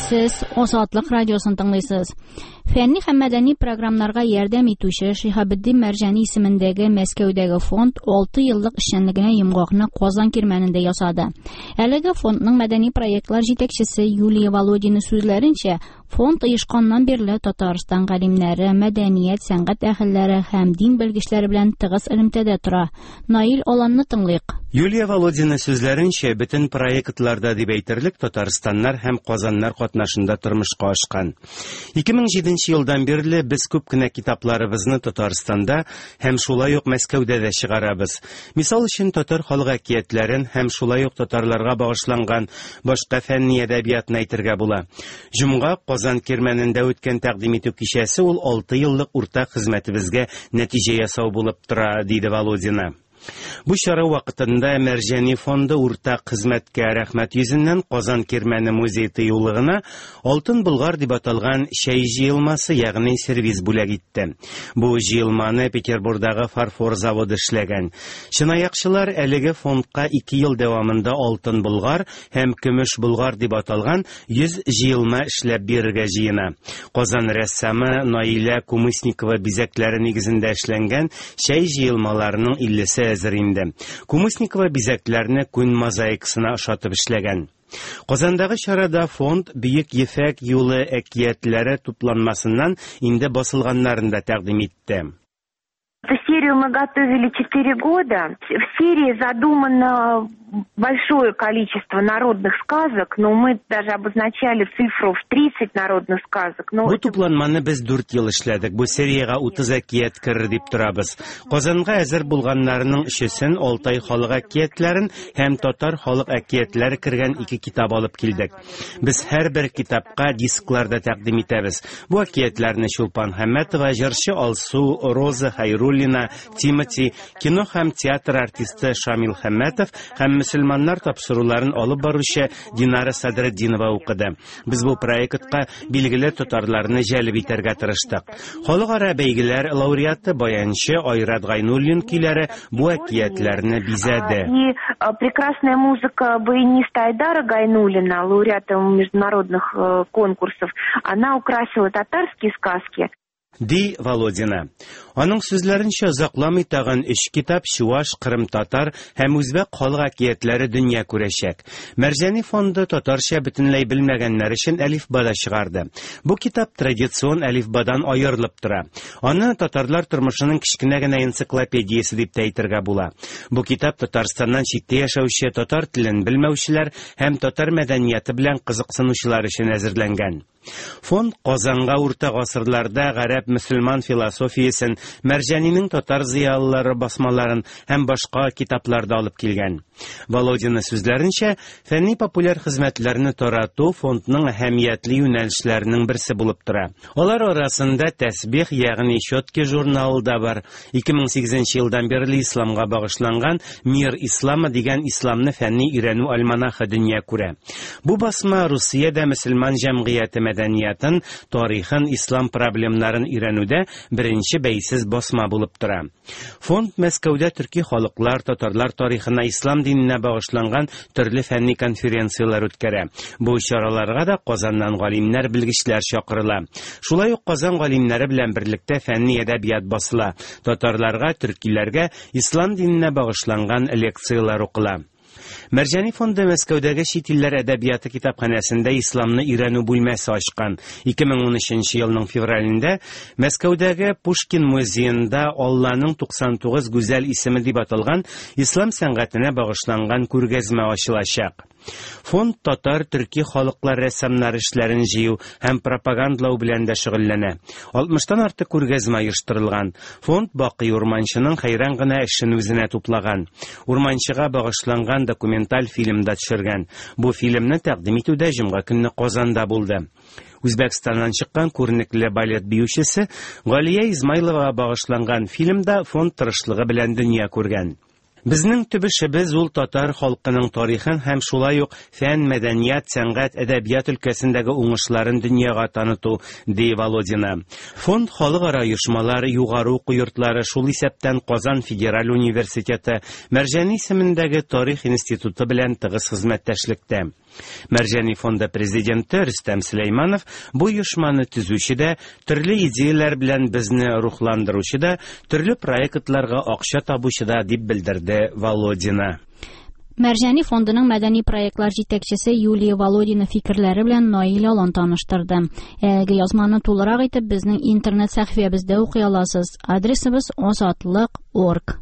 Сез Азатлык радиосын тыңлыйсыз. Фәнни һәм мәдәни програмнарга ярдәм итүче Шиһабетдин Мәрҗани исемендәге Мәскәүдәге фонд 6 еллык эшчәнлегенә йомгакны Казан кирмәнендә ясады. Әлеге фондның мәдәни проектлар җитәкчесе Юлия Володина сүзләренчә, фонд оешканнан бирле Татарстан галимнәре, мәдәният, сәнгать әһелләре һәм дин белгечләре белән тыгыз элемтәдә тора. Наил Аланны тыңлыйк. Юлия Володина сүзләренчә, бөтен проектлар да дип әйтерлек татарстаннар һәм казаннар катнашында тормышка ашкан. 2007 елдан бирле без күп кенә китапларыбызны Татарстанда һәм шулай ук Мәскәүдә дә чыгарабыз. Мисал өчен, татар халык әкиятләрен һәм шулай ук татарларга багышланган башка фәнни әдәбиятны әйтергә була. Җомга Казан Кирмәнендә үткән тәкъдим итү кичәсе ул алты еллык уртак хезмәтебезгә нәтиҗә ясау булып тора, диде Володина. Бу чара вакытында Мәрҗани фонды уртак хезмәткә рәхмәт йөзеннән Казан Кирмәне музей тыюлыгына Алтын Болгар дип аталган чәй җыелмасы, ягъни сервиз бүләк итте. Бу җыелманы Петербурдагы фарфор заводы эшләгән. Чынаякчылар әлеге фондка ике ел дәвамында Алтын Болгар һәм Көмеш Болгар дип аталган 100 җыелма эшләп бирергә җыена. Казан рәссамы Наилә Кумысникова бизәкләре нигезендә эшләнгән чәй җыелмаларының иллесе әзер инде. Кумысникова бизәкләрне күн мозаикасына ошатып эшләгән. Казандагы чарада фонд Бөек Ефәк юлы әкиятләре тупланмасыннан инде басылганнарын да тәкъдим итте. Эту серию мы готовили 4 года. В серии задумано большое количество народных сказок, но мы даже обозначали цифру в 30 народных сказок. Но Бу тупланманы без 4 ел эшләдек. Бу сериягә 30 әкият керер дип торабыз. Казанга әзер булганнарының өчесен Алтай халык әкиятләрен һәм татар халык әкиятләре кергән ике китап алып килдек. Без һәрбер китапка дисклар да тәкъдим итәбез. Бу әкиятләрне Чулпан Хәммәтова, җырчы Алсу, Роза Хәйруллина, Тимати, кино һәм театр артисты Шамил Хәммәтов һәм мөселманнар тапшыруларын алып баручы Динара Садретдинова укыды. Без бу проектка билгеле татарларны җәлеп итәргә тырыштык. Халыкара бәйгеләр лауреаты баянчы Айрат Гайнуллин көйләре бу әкиятләрне бизәде. И прекрасная музыка баяниста Айдара Гайнуллина, лауреата международных конкурсов, она украсила татарские сказки. Ди Володина. Аның сүзләренчә, озакламый тагын өч китап чуаш, кырымтатар һәм үзбәк халык әкиятләре дөнья күрәчәк. Мәрҗани фонды татарча бөтенләй белмәгәннәр өчен әлифба да чыгарды. Бу китап традицион әлифбадан аерылып тора. Аны татарлар тормышының кечкенә генә энциклопедиясе дип тә әйтергә була. Бу китап Татарстаннан читтә яшәүче татар телен белмәүчеләр һәм татар мәдәнияте белән кызыксынучылар өчен әзерләнгән. Фонд Казанга урта гасырларда гарәп-мөселман философиясен, Мәрҗанинең татар зыялылары басмаларын һәм башка китаплар да алып килгән. Володина сүзләренчә, фәнни-популяр хезмәтләрне тарату фондның әһәмиятле юнәлешләренең берсе булып тора. Алар арасында Тәсбих, ягъни Четки журналы да бар. 2008 елдан бирле исламга багышланган Мир ислама дигән исламны фәнни өйрәнү альманахы дөнья күрә. Бу басма Русиядә мөселман җәмгыяте мәдәниятын, тарихын, ислам проблемнарын өйрәнүдә беренче бәйсез басма булып тора. Фонд Мәскәүдә төрки халыклар, татарлар тарихына, ислам диненә багышланган төрле фәнни конференцияләр үткәрә. Бу чараларга да Казаннан галимнәр, белгечләр чакырыла. Шулай ук Казан галимнәре белән берлектә фәнни әдәбият басыла, татарларга, төркиләргә ислам диненә багышланган лекцияләр укыла. Мәрҗани фонды Мәскәүдәге чит илләр әдәбияты китапханәсендә исламны өйрәнү бүлмәсе ачкан. 2013 елның февралендә Мәскәүдәге Пушкин музеенда Алланың 99 гүзәл исеме дип аталган ислам сәнгатенә багышланган күргәзмә ачылачак. Фонд татар, төрки халыклар рәссамнары эшләрен җыю һәм пропагандалау белән дә шөгыльләнә. 60-тан артык күргәзмә оештырылган. Фонд Бакый Урманчының хәйран гына эшен үзенә туплаган. Урманчыга багышланган документаль фильм да төшергән. Бу фильмны тәкъдим итү дә җомга көнне Казанда булды. Үзбәкстаннан чыккан күренекле балет биючесе Галия Измайловага багышланган фильм да фонд тырышлыгы белән дөнья күргән. Безнең төп эшебез ул татар халкының тарихын һәм шулай ук фән, мәдәният, сәнгать, әдәбият өлкәсендәге уңышларын дөньяга таныту, ди Володина. Фонд халыкара оешмалар, югары уку йортлары, шул исәптән Казан федераль университеты, Мәрҗани исемендәге Тарих институты белән тыгыз хезмәттәшлектә. Мәрҗани фонды президенты Рөстәм Сөләйманов бу оешманы төзүче дә, төрле идеяләр белән безне рухландыручы да, төрле проектларга акча табучы да, дип белдерде Володина. Мәрҗани фондының мәдәни проектлар җитәкчесе Юлия Володина фикерләре белән Наил Алан таныштырды. Әлеге язманы тулырак итеп безнең интернет сәхифәбездә укый аласыз. Адресыбыз озатлык.орг.